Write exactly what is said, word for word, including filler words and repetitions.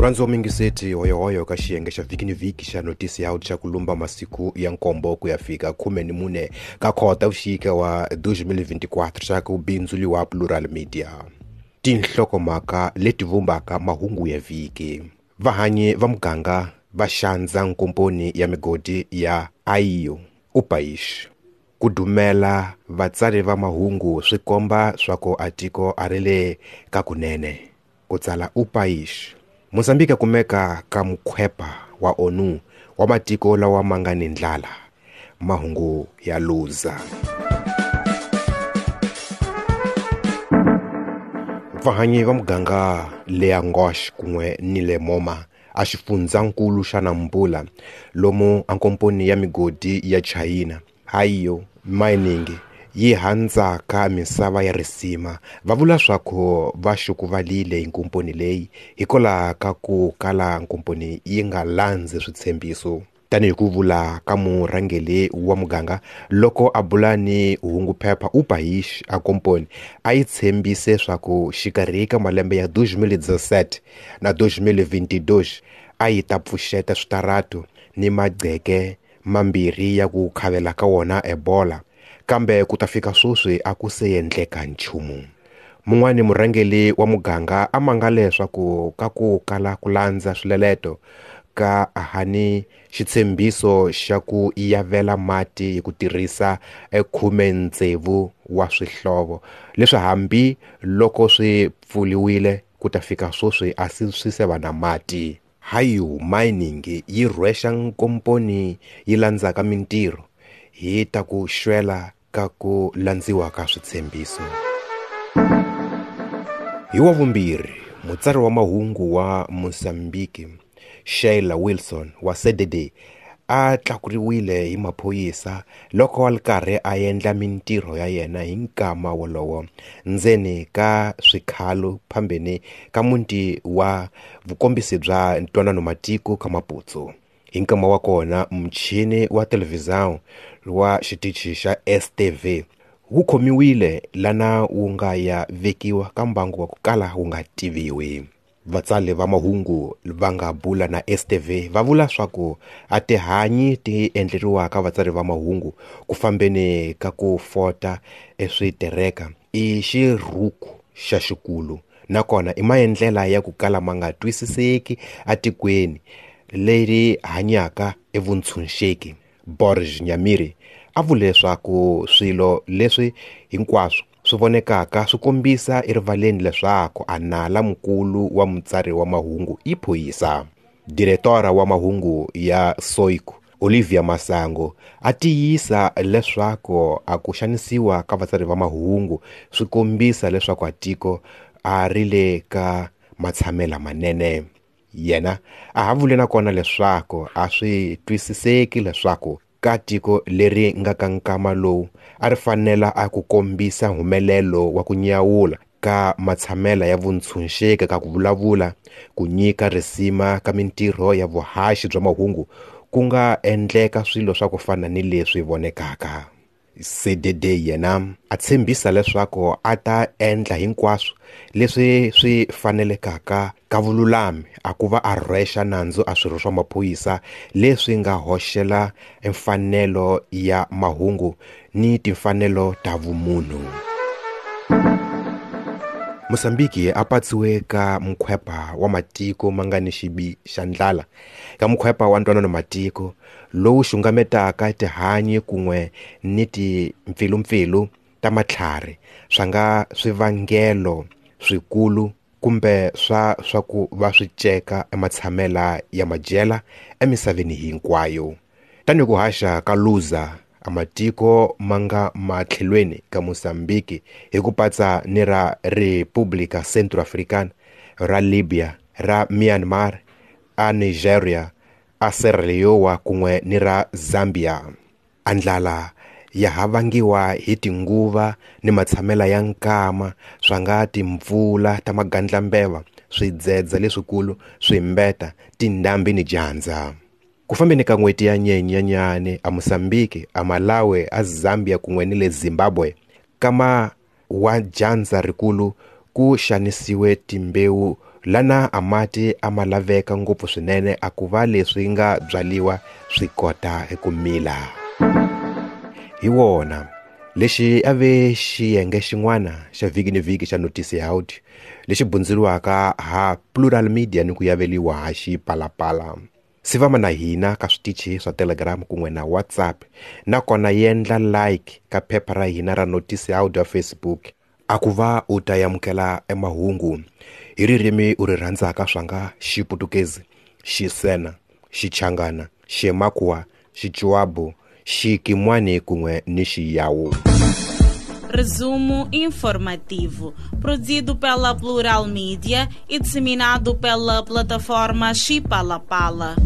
Murhandzi mingiseti hoyohoyo ka xiyenge xa vhiki ni vhiki xa notisi ya xa ku lumba masiku ya nkombo ku ya fika khume ni mune ka khota vuxika wa twenty twenty-four xa ku bindzuliwa Plural Media. Tinhlokomhaka leti vumbaka mahungu ya vhiki. Vahanyi va muganga va xandza nkomponi ya migodi ya Aio Upaish. Ku dumela vatsari va mahungu swi komba swa ku a tiko a ri le ka kunene. Ku tsala Upaish. Mozambique kumeka ka mukhwepa wa ONU wa matiko lawa ma nga ni ndlala. Mahungu ya Luza. Vahanyi va muganga le Angosh kun'we ni le Moma a xifundzankulu xa Nampula lomu a nkomponi ya migodi ya China Aio Mining yi handzaka misava ya risima va vula swa ku va xukuvalile hi nkomponi leyi hikwalaho ka ku kala nkomponi yi nga landzi switshembiso. Tanihi ku vula ka murhangeri wa muganga loko a bula ni hunguphepha Upaish a komponi a yi tshembise swa ku xikarhi ka malembe ya twenty seventeen na twenty twenty-two a yi ta pfuxeta switaratu ni magqeke mambirhi ya ku khavela ka wona Ebola, kambe ku ta fika sweswi a ku se endleka nchumu. Mun'wani murhangeri wa muganga a mangale leswaku ka ku kala ku landza swileleto ka hani xitshembiso xa ku yavela mati hi ku tirhisa khume tsevu wa swihlovo leswi hambi loko swi pfuliwile ku ta fika sweswi a swi swi se va na mati. Aio Mining yi rhwexa nkomponi yi landzaka mintirho hi ta ku xwela ka ku landziwa ka switshembiso. Hi wa vumbirhi, mutsari wa mahungu wa Mozambique Sheila Wilson wa C D D a tlakuriwile hi maphorisa loko a ri karhi a endla mintirho ya yena hi nkama wolowo ndzeni ka swikhalo phambeni ka muti wa vukombisi bya ntwanano matiko ka Maputo. Hi nkama wa kona muchini wa televhizão wa xitichi xa S T V wu khomiwile lana wu nga ya vekiwa ka mbangu wa ku kala wu nga tiviwi. Vatsali va mahungu va nga bula na S T V va vula swa ku a tihanyi ti endleriwaka vatsari va mahungu ku fambeni ka ku fota eswitereka i xirhuku xa xikulu nakona i maendlela ya ku kala ma nga twisiseki atikweni leri hanyaka evuntshunxeki. Borges Nyamiri a vule leswaku swilo leswi hinkwaswo swi vonekaka swi kombisa erivaleni leswaku a nala mukulu wa mutsari wa mahungu i phorisa. Diretora wa mahungu ya Soico Olivia Masango a tiyisa leswaku a ku xanisiwa ka vatsari va mahungu swi kombisa leswaku a tiko a ri le ka matshamela manene. Yena a ha vule nakona leswaku a swi twisiseki leswaku ka tiko leri nga ka nkama lowu a ri fanela a ku kombisa humelelo wa ku nyawula ka matshamela ya vuntshunxeki ka ku vulavula, ku nyika risima ka mintirho ya vuhaxi bya mahungu ku nga endleka swilo swa ku fana ni leswi vonekaka. C D D yena a tshembisa leswaku a ta endla hinkwaswo leswi swi fanelekaka ka vululami a ku va a rhwexa nandzu a swirho swa maphorisa leswi nga hoxela mfanelo ya mahungu ni timfanelo ta vumunhu. Mozambique a patsiwe ka mukhwepa wa matiko ma nga ni xibi xa ndlala ka mukhwepa wa ntwanano matiko lowu xungametaka tihanyi kun'we ni timpfilumpfilu ta matlhari swa nga swivangelo swikulu kumbe swa swa ku va swi ceka ematshamela ya madyela emisaveni hinkwayo. Tanihi ku haxa ka Luza a matiko ma nga matlhelweni ka Mozambique hi ku patsa ni ra República Centro-Africana, ra Libya, ra Myanmar, a Nigeria, a Sierra Leone kun'we ni ra Zambia. A ndlala ya ha vangiwa hi tinguva ni matshamela ya nkama swa nga timpfula ta magandlambeva, swidzedze leswikulu, swimbeta, tindhambi ni dyandza. Ku fambeni ka n'hweti ya Nyenyenyane a Mozambique, a Malawi, a Zambia kun'we ni le Zimbabwe kama wa dyandza rikulu ku xanisiwe timbewu Lana a mati a ma laveka ngopfu swinene a ku va leswi nga byaliwa swi kota ku mila. Hi wona lexi a ve xiyenge xin'wana xa vhiki ni vhiki xa Notícia Áudio lexi bundzuriwaka ha Plural Media ni ku yaveliwa ha Xipalapala. Sivama na hina ka switichi swa Telegram kun'we na WhatsApp, nakona yendla like ka phepha ra hina ra Notícia Áudio Facebook a ku va u ta amukela emahungu hi ririmi u ri rhandzaka swanga Xiputukezi, Xisena, Xichangana, Ximakua, Xichuabu, Xikimwani kun'we ni Xiyawu. Resumo informativo, produzido pela Plural Mídia e disseminado pela plataforma Xipalapala.